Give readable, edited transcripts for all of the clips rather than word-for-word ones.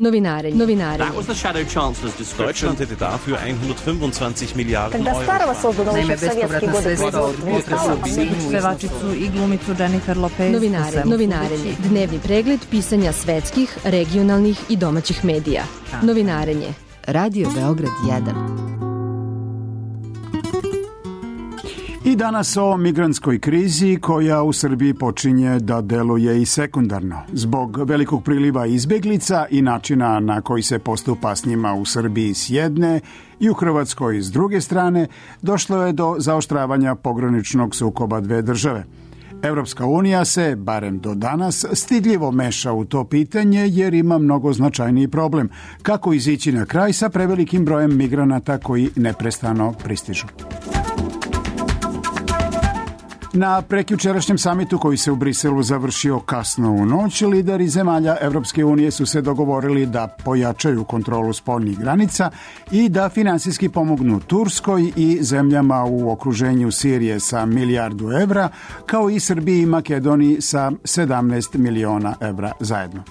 Novinare. That was the Shadow Chancellor's description. Deutschland hätte dafür 125 Milijarden Когда Euro. старого создано еще в советские годы производства. Pevačicu i glumicu Jennifer Lopez. Novinarenje. Dnevni pregled pisanja svetskih, regionalnih i domaćih medija. Novinarenje. Radio Beograd 1. I danas o migrantskoj krizi koja u Srbiji počinje da deluje i sekundarno. Zbog velikog priliva izbeglica i načina na koji se postupa s njima u Srbiji s jedne i u Hrvatskoj s druge strane, došlo je do zaoštravanja pograničnog sukoba dve države. Evropska unija se, barem do danas, stidljivo meša u to pitanje jer ima mnogo značajniji problem. Kako izići na kraj sa prevelikim brojem migranata koji neprestano pristižu? Na prekjučerašnjem samitu koji se u Briselu završio kasno u noć, lideri zemalja Evropske unije su se dogovorili da pojačaju kontrolu spoljnih granica i da finansijski pomognu Turskoj i zemljama u okruženju Sirije sa milijardu evra, kao i Srbiji i Makedoniji sa 17 miliona evra zajedno.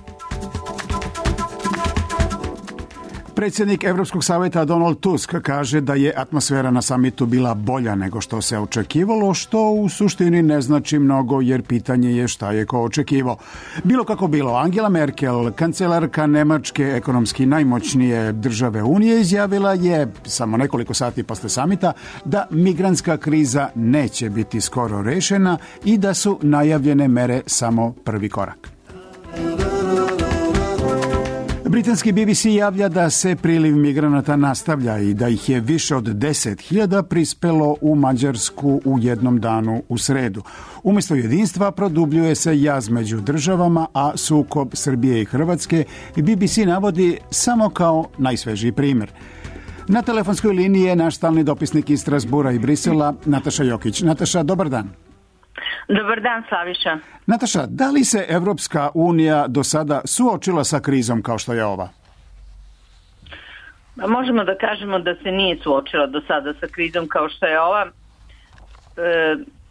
Predsjednik Evropskog savjeta Donald Tusk kaže da je atmosfera na samitu bila bolja nego što se očekivalo, što u suštini ne znači mnogo jer pitanje je šta je ko očekivao. Bilo kako bilo, Angela Merkel, kancelarka Nemačke, ekonomski najmoćnije države Unije, izjavila je samo nekoliko sati posle samita da migrantska kriza neće biti skoro rešena i da su najavljene mere samo prvi korak. Britanski BBC javlja da se priliv migranata nastavlja i da ih je više od 10.000 prispelo u Mađarsku u jednom danu u sredu. Umjesto jedinstva produbljuje se jaz među državama, a sukob Srbije i Hrvatske BBC navodi samo kao najsvežiji primjer. Na telefonskoj liniji je naš stalni dopisnik iz Strasbura i Brisela, Nataša Jokić. Nataša, dobar dan. Dobar dan, Slaviša. Nataša, da li se Evropska unija do sada suočila sa krizom kao što je ova? Možemo da kažemo da se nije suočila do sada sa krizom kao što je ova.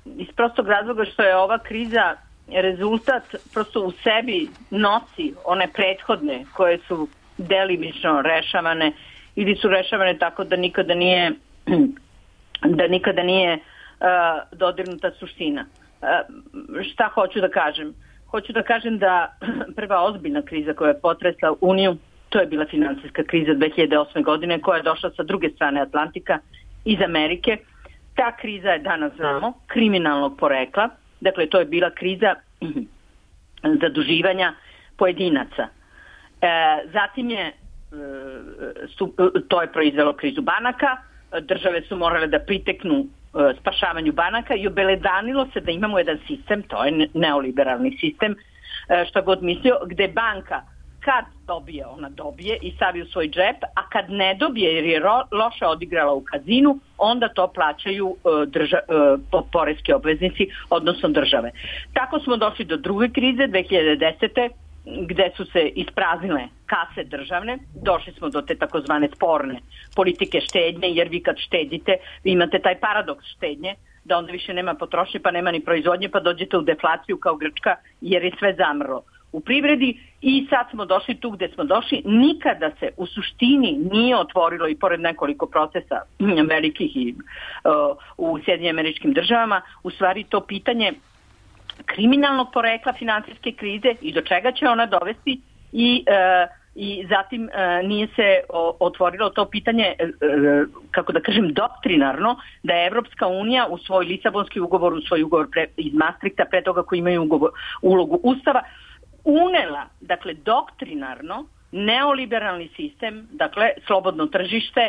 Iz prostog razloga što je ova kriza rezultat prosto u sebi nosi one prethodne koje su delimično rešavane ili su rešavane tako da nikada nije dodirnuta suština. Šta hoću da kažem? Hoću da kažem da prva ozbiljna kriza koja je potresla Uniju, to je bila finansijska kriza 2008. godine koja je došla sa druge strane Atlantika iz Amerike. Ta kriza je danas znamo kriminalnog porekla, dakle to je bila kriza zaduživanja pojedinaca. Zatim to je proizvelo krizu banaka, države su morale da priteknu spašavanju banaka i obeledanilo se da imamo jedan sistem, to je neoliberalni sistem, šta god mislio, gde banka kad dobije, ona dobije i stavi u svoj džep, a kad ne dobije jer je loše odigrala u kazinu, onda to plaćaju poreski obveznici, odnosno države. Tako smo došli do druge krize 2010. gde su se ispraznile kase državne, došli smo do te takozvane sporne politike štednje, jer vi kad štedite, vi imate taj paradoks štednje, da onda više nema potrošnje, pa nema ni proizvodnje, pa dođete u deflaciju kao Grčka, jer je sve zamrlo u privredi i sad smo došli tu gde smo došli. Nikada se u suštini nije otvorilo, i pored nekoliko procesa velikih i u Sjedinjenim Američkim Državama, u stvari to pitanje kriminalnog porekla finansijske krize i do čega će ona dovesti i zatim nije se otvorilo to pitanje, kako da kažem, doktrinarno, da je Evropska unija u svoj Lisabonski ugovor, u svoj ugovor iz Maastrichta, pre toga koji imaju ulogu Ustava, unela, dakle, doktrinarno neoliberalni sistem, dakle, slobodno tržište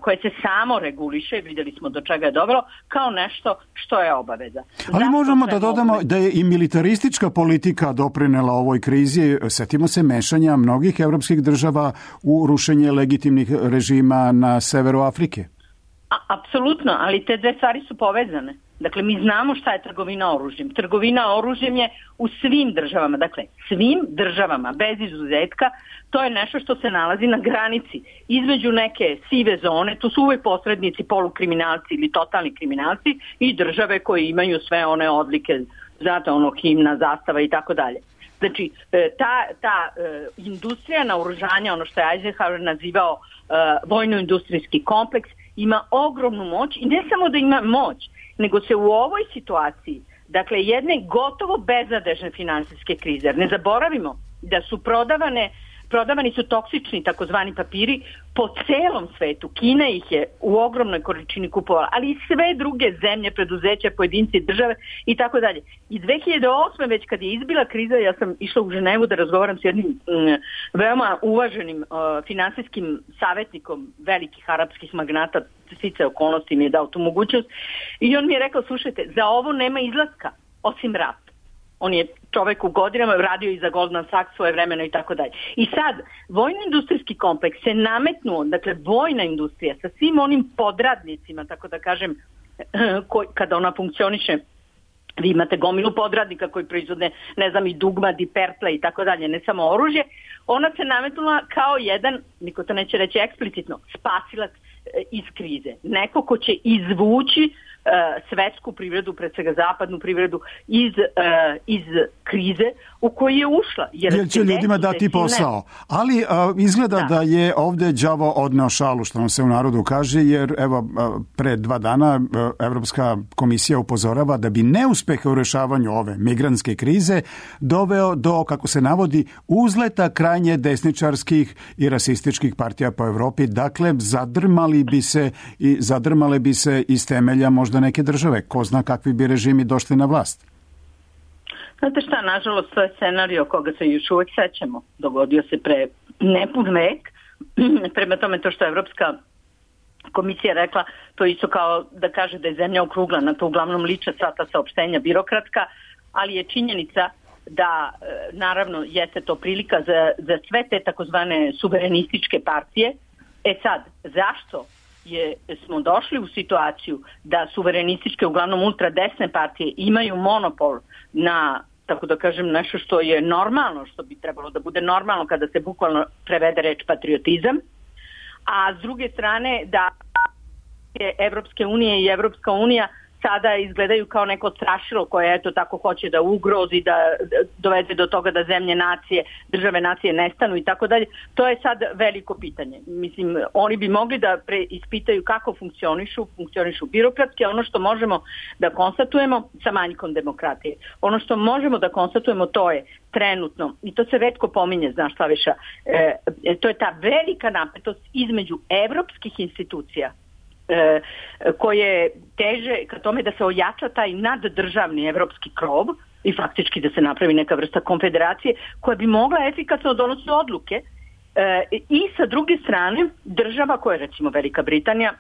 koje se samo reguliše, vidjeli smo do čega je dovelo, kao nešto što je obaveza. Ali možemo da dodamo da je i militaristička politika doprinela ovoj krizi. Setimo se mešanja mnogih evropskih država u rušenje legitimnih režima na severu Afrike. Apsolutno, ali te dve stvari su povezane. Dakle, mi znamo šta je trgovina oružjem. Trgovina oružjem je u svim državama, dakle, svim državama, bez izuzetka, to je nešto što se nalazi na granici. Između neke sive zone, to su uvek posrednici, polukriminalci ili totalni kriminalci i države koje imaju sve one odlike, znate, ono, himna, zastava i tako dalje. Znači, ta industrija naoružanja, ono što je Eisenhower nazivao vojno-industrijski kompleks, ima ogromnu moć i ne samo da ima moć, nego se u ovoj situaciji, dakle jedne gotovo beznadežne finansijske krize, jer ne zaboravimo da su prodavani su toksični takozvani papiri po celom svetu. Kina ih je u ogromnoj količini kupovala, ali i sve druge zemlje, preduzeća, pojedinci, države i tako dalje. I 2008. već kad je izbila kriza, ja sam išla u Ženevu da razgovaram s jednim veoma uvaženim finansijskim savjetnikom velikih arapskih magnata, sticajem okolnosti mi je dao tu mogućnost, i on mi je rekao, slušajte, za ovo nema izlaska osim rata. On je čovek u godinama radio i za Goldman Sachs svoje vremeno i tako dalje. I sad, vojno-industrijski kompleks se nametnuo, dakle vojna industrija sa svim onim podradnicima, tako da kažem, kada ona funkcioniše, vi imate gomilu podradnika koji proizvode, ne znam, i dugmad i pertle i tako dalje, ne samo oružje, ona se nametnula kao jedan, niko to neće reći eksplicitno, spasilac iz krize. Neko ko će izvući svetsku privredu, pred svega zapadnu privredu, iz krize u koju je ušla. Jer će ljudima dati posao. Ali izgleda da je ovdje đavo odneo šalu, što nam se u narodu kaže, jer evo, pre 2 dana Evropska komisija upozorava da bi neuspeh u rešavanju ove migrantske krize doveo do, kako se navodi, uzleta krajnje desničarskih i rasističkih partija po Evropi. Dakle, zadrmale bi se iz temelja možda neke države. Ko zna kakvi bi režimi došli na vlast? Znate šta, nažalost, to je scenario koga se još uvek sećamo. Dogodio se pre nepun vek. Prema tome, to što je Evropska komisija rekla, to isto kao da kaže da je zemlja okruglana. To uglavnom liče sva ta saopštenja birokratska, ali je činjenica da, naravno, jeste to prilika za sve te takozvane suverenističke partije. Sad, zašto smo došli u situaciju da suverenističke, uglavnom ultradesne partije imaju monopol na, tako da kažem, nešto što je normalno, što bi trebalo da bude normalno kada se bukvalno prevede reč patriotizam, a s druge strane da Evropske unije i Evropska unija sada izgledaju kao neko strašilo koje eto tako hoće da ugrozi, da dovede do toga da zemlje nacije, države nacije nestanu i tako dalje. To je sad veliko pitanje. Mislim, oni bi mogli da ispitaju kako funkcionišu birokratski, a ono što možemo da konstatujemo sa manjkom demokratije. Ono što možemo da konstatujemo to je trenutno, i to se retko pominje, znaš Slaviša, to je ta velika napetost između evropskih institucija koje teže ka tome da se ojača taj naddržavni evropski krov i faktički da se napravi neka vrsta konfederacije koja bi mogla efikasno donositi odluke i sa druge strane država koja, recimo Velika Britanija,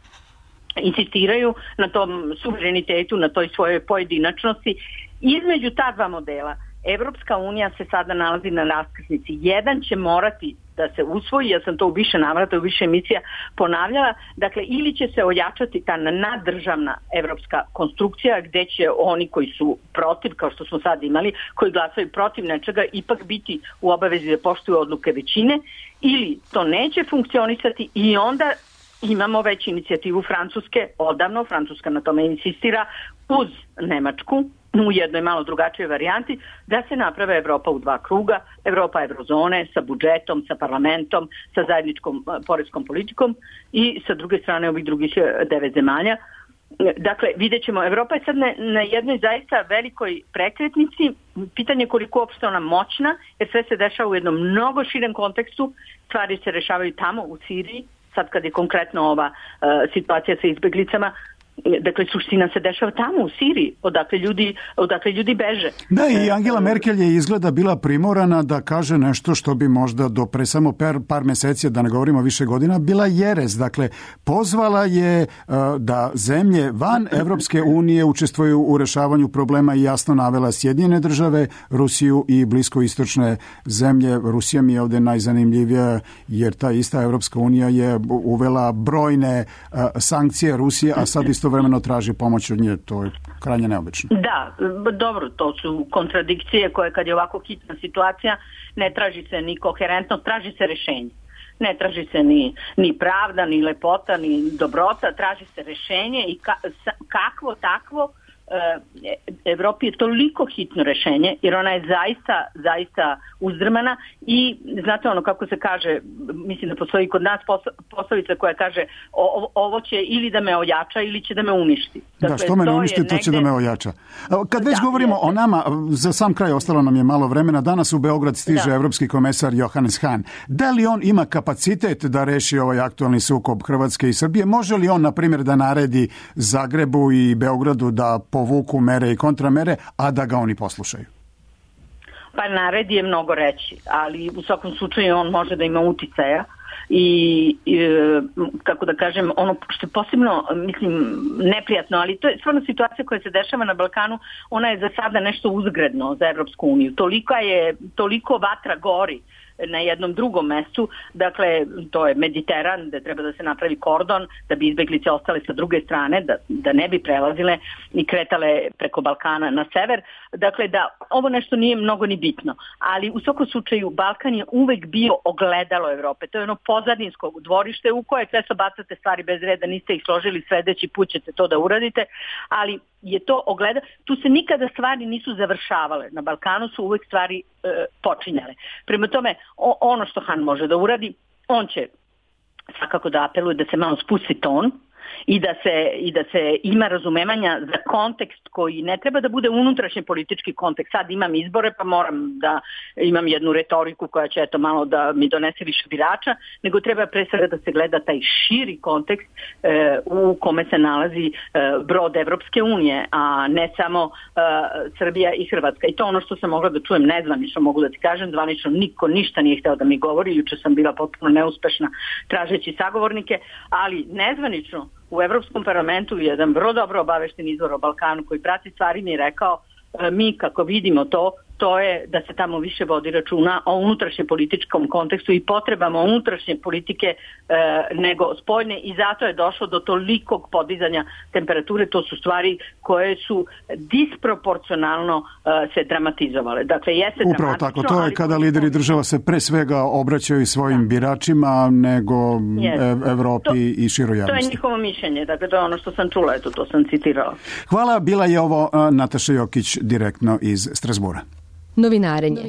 insistiraju na tom suverenitetu, na toj svojoj pojedinačnosti. Između ta dva modela Evropska unija se sada nalazi na raskrsnici. Jedan će morati da se usvoji, ja sam to u više navrata, u više emisija ponavljala, dakle ili će se ojačati ta naddržavna evropska konstrukcija gde će oni koji su protiv, kao što smo sad imali, koji glasaju protiv nečega, ipak biti u obavezi da poštuju odluke većine, ili to neće funkcionisati i onda imamo već inicijativu Francuske, odavno, Francuska na tome insistira, uz Nemačku, u jednoj malo drugačijoj varijanti, da se naprave Evropa u 2 kruga, Evropa eurozone sa budžetom, sa parlamentom, sa zajedničkom poreskom politikom i sa druge strane ovih drugih 9 zemalja. Dakle, vidjet ćemo, Evropa je sad na jednoj zaista velikoj prekretnici, pitanje koliko uopšte ona moćna, jer sve se dešava u jednom mnogo širem kontekstu, stvari se rešavaju tamo u Siriji, sad kad je konkretno ova situacija sa izbeglicama, dakle suština se dešava tamo u Siriji, odakle ljudi beže. Da, i Angela Merkel je izgleda bila primorana da kaže nešto što bi možda do pre samo par meseci, da ne govorimo više godina, bila jerez. Dakle, pozvala je da zemlje van Evropske unije učestvuju u rešavanju problema i jasno navela Sjedinjene države, Rusiju i bliskoistočne zemlje. Rusija mi je ovdje najzanimljivija jer ta ista Evropska unija je uvela brojne sankcije Rusije, a sad istovremeno traži pomoć od nje. To je krajnje neobično. Da, dobro, to su kontradikcije koje kad je ovako hitna situacija ne traži se ni koherentnost, traži se rešenje. Ne traži se ni pravda, ni lepota, ni dobrota, traži se rešenje i kakvo takvo Evropi je toliko hitno rešenje, jer ona je zaista uzdrmana i znate ono kako se kaže, mislim da postoji kod nas poslovica koja kaže ovo će ili da me ojača ili će da me uništi. Dakle, što me ne uništi, to će da me ojača. Kad već govorimo o nama, za sam kraj ostalo nam je malo vremena, danas u Beograd stiže evropski komesar Johannes Hahn. Da li on ima kapacitet da reši ovaj aktualni sukob Hrvatske i Srbije? Može li on, na primjer, da naredi Zagrebu i Beogradu da povuku mere i kontramere, a da ga oni poslušaju? Pa naredi je mnogo reći, ali u svakom slučaju on može da ima uticaja i kako da kažem, ono što je posebno, mislim, neprijatno, ali to je stvarno situacija koja se dešava na Balkanu, ona je za sada nešto uzgredno za Evropsku uniju. Toliko vatra gori na jednom drugom mestu, dakle to je Mediteran, gde treba da se napravi kordon da bi izbeglice ostale sa druge strane, da ne bi prelazile i kretale preko Balkana na sever, dakle da ovo nešto nije mnogo ni bitno, ali u svakom slučaju Balkan je uvek bio ogledalo Evrope, to je ono pozadinsko dvorište u koje često bacate stvari bez reda, niste ih složili, sledeći put ćete to da uradite, ali je to ogleda, tu se nikada stvari nisu završavale, na Balkanu su uvek stvari počinjale. Prema tome, ono što Han može da uradi, on će svakako da apeluje da se malo spusti ton i da se ima razumevanja za kontekst koji ne treba da bude unutrašnji politički kontekst. Sad imam izbore pa moram da imam jednu retoriku koja će eto malo da mi donese više birača, nego treba pre svega da se gleda taj širi kontekst u kome se nalazi brod Evropske unije, a ne samo Srbija i Hrvatska. I to ono što sam mogla da čujem nezvanično, mogu da ti kažem, zvanično niko ništa nije hteo da mi govori, juče sam bila potpuno neuspešna tražeći sagovornike, ali nezvanično u Evropskom parlamentu jedan vrlo dobro obavešten izvor o Balkanu koji prati stvari mi je rekao, mi kako vidimo to je da se tamo više vodi računa o unutrašnjem političkom kontekstu i potrebama unutrašnje politike nego spoljne i zato je došlo do tolikog podizanja temperature. To su stvari koje su disproporcionalno se dramatizovale. Dakle, jeste upravo tako, to je kada lideri država se pre svega obraćaju svojim biračima nego Evropi i široj javnosti. To je njihovo mišljenje, dakle to je ono što sam čula, eto to sam citirala. Hvala, bila je ovo Nataša Jokić direktno iz Strasbura. Novinarenje.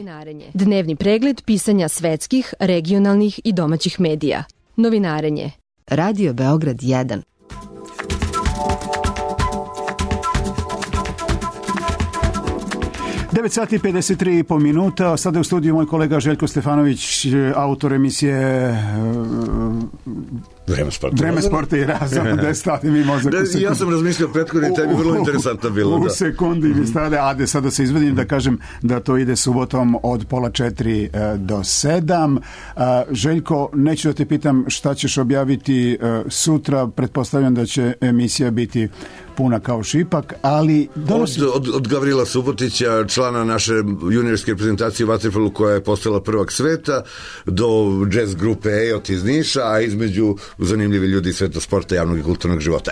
Dnevni pregled pisanja svetskih, regionalnih i domaćih medija. Novinarenje. Radio Beograd 1. Devet sati 53,5 minuta. Sada je u studiju moj kolega Željko Stefanović, autor emisije Vreme sporta i razum. Gde stade mi mozak u sekundi. Ja sam razmišljao prethodni tebi, vrlo interesantno bilo. U sekundi mi stade, sada se izvedim da kažem da to ide subotom od 3:30 do 7. Željko, neću da te pitam šta ćeš objaviti sutra, pretpostavljam da će emisija biti puna kao šipak, ali... Od Gavrila Subotića, člana naše juniorske reprezentacije u vaterpolu koja je postala prvak sveta, do jazz grupe EOT iz Niša, a između zanimljivi ljudi iz sveta sporta, javnog i kulturnog života.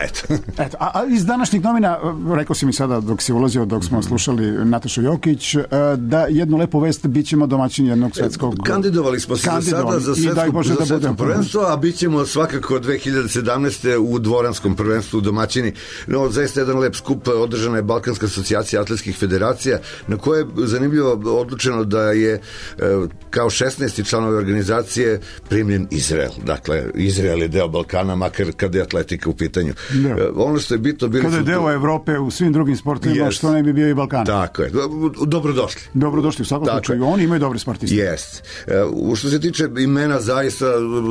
Eto, a iz današnjih novina, rekao si mi sada dok si ulazio, dok smo slušali Natašu Jokić, da jednu lepu vest, bit ćemo domaćin jednog svetskog... Kandidovali smo se sada za svetsko prvenstvo, a bit ćemo svakako 2017. u dvoranskom prvenstvu domaćini. No, zaista jedan lep skup, održana je Balkanska asocijacija atletskih federacija, na koje je zanimljivo odlučeno da je kao 16. članove organizacije primljen Izrael. Dakle, Izrael je deo Balkana, makar kada je atletika u pitanju. Ono što je bitno bili kada je deo Evrope u svim drugim sportovima, što ne bi bio i Balkan. Tako je. Dobrodošli. Dobrodošli u svakom slučaju. Oni imaju dobri sportisti. Jest. Što se tiče imena, zaista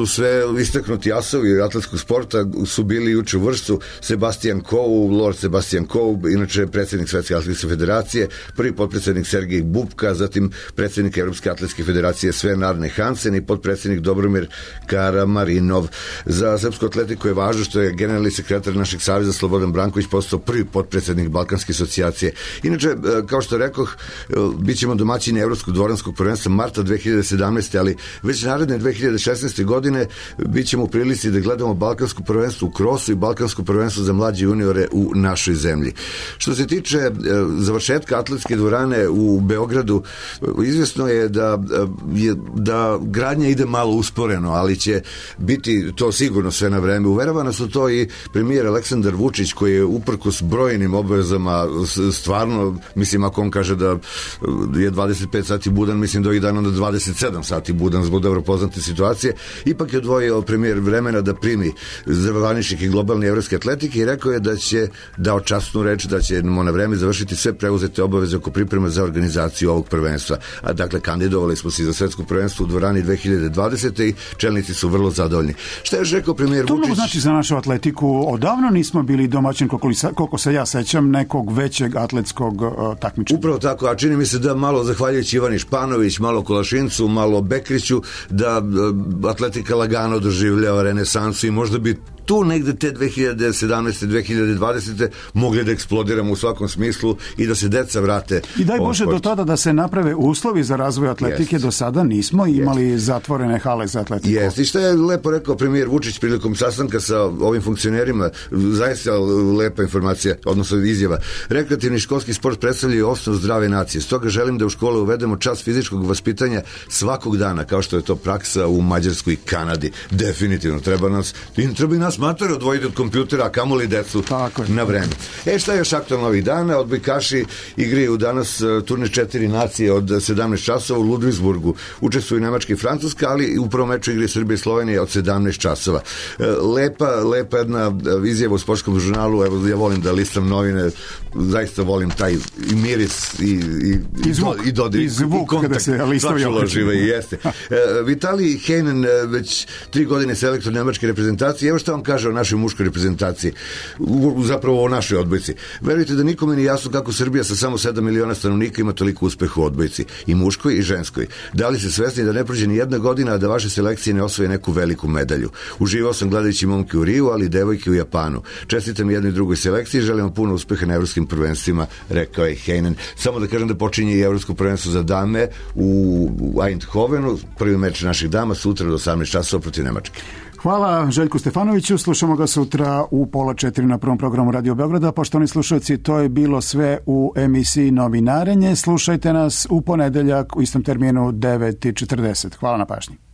sve istaknuti asovi atletskog sporta su bili juče u Vršcu. Sebastian Coe, Lord Sebastian Coe, inače predsjednik Svetske atletske federacije, prvi potpredsjednik Sergej Bubka, zatim predsjednik Evropske atletske federacije Sven Arne Hansen i potpredsjednik Dobromir Karamarinov. Za srpsku atletiku je važno što je generalni sekretar našeg saveza Slobodan Branković postao prvi potpredsjednik Balkanske asocijacije. Inače, kao što rekoh, bit ćemo domaćini Evropskog dvoranskog prvenstva marta 2017. ali već naredne 2016. godine bit ćemo u prilici da gledamo Balkansko prvenstvo u krosu i Balkansko prvenstvo za mlađe juniore u našoj zemlji. Što se tiče završetka atletske dvorane u Beogradu, izvjesno je da gradnja ide malo usporeno, ali će biti to sigurno sve na vreme. Uverava nas u to i premijer Aleksandar Vučić, koji je uprkos brojnim obavezama stvarno, mislim, ako on kaže da je 25 sati budan, mislim da ovih dana da 27 sati budan zbog dobro poznate situacije, ipak je odvojio premijer vremena da primi zvaničnike i globalne evropske atletike i rekao je da će dao časnu reč da ćemo na vreme završiti sve preuzete obaveze oko pripreme za organizaciju ovog prvenstva. A dakle, kandidovali smo se za svetsko prvenstvo u dvorani 2020. i čelnici su vrlo zadovoljni. Šta je rekao premijer Vučić? To mnogo znači za našu atletiku. Odavno nismo bili domaćin, koliko se ja sećam, nekog većeg atletskog takmičenja. Upravo tako, a čini mi se da malo zahvaljujući Ivani Španović, malo Kolašincu, malo Bekriću, da atletika lagano doživljava renesansu i možda bi tu negde te 2017. 2020. mogli da eksplodiramo u svakom smislu i da se deca vrate. I daj Bože do tada da se naprave uslovi za razvoj atletike. Do sada nismo imali zatvorene hale za atletiku. Jeste. I što je lepo rekao premijer Vučić prilikom sastanka sa ovim funkcionerima, zaista lepa informacija, odnosno izjava. Rekreativni školski sport predstavlja osnov zdrave nacije. Stoga želim da u škole uvedemo čas fizičkog vaspitanja svakog dana, kao što je to praksa u Mađarskoj i Kanadi. Definitivno. Treba i nas matore odvojiti od kompjutera, a kamoli decu na vreme. Šta je još aktualno ovih dana? Odbojkaši igraju danas turnir 4 nacije od 17 časova u Ludvigsburgu. Učestvuju Nemačka i Francuska, ali u prvom meču igre Srbije i Slovenije od 17 časova. Lepa jedna izjava u sportskom žurnalu. Evo, ja volim da listam novine, zaista volim taj i miris i dodir i zvuk kada se listovi okreću. Jeste. Vitalij Heinen, već 3 godine selektor nemačke reprezentacije. Evo šta vam kaže o našoj muškoj reprezentaciji, zapravo o našoj odbojci. Verujte da nikome nije jasno kako Srbija sa samo 7 miliona stanovnika ima toliko uspeha u odbojci, i muškoj i ženskoj. Da li ste svesni da ne prođe ni jedna godina, a da vaše selekcije ne osvoje neku veliku medalju? Uživao sam gledajući momke u Riju, ali i devojke u Japanu. Čestitam jednoj i drugoj selekciji, želim vam puno uspeha na evropskim prvenstvima, rekao je Heinen. Samo da kažem da počinje i evropsko prvenstvo za dame u Eindhovenu, prvi meč naših dama sutra do 18 časova protiv Nemačke. Hvala Željku Stefanoviću, slušamo ga sutra u 3:30 na prvom programu Radio Beograda. Poštovani slušalci, to je bilo sve u emisiji Novinarenje. Slušajte nas u ponedeljak u istom terminu 9:40. Hvala na pažnji.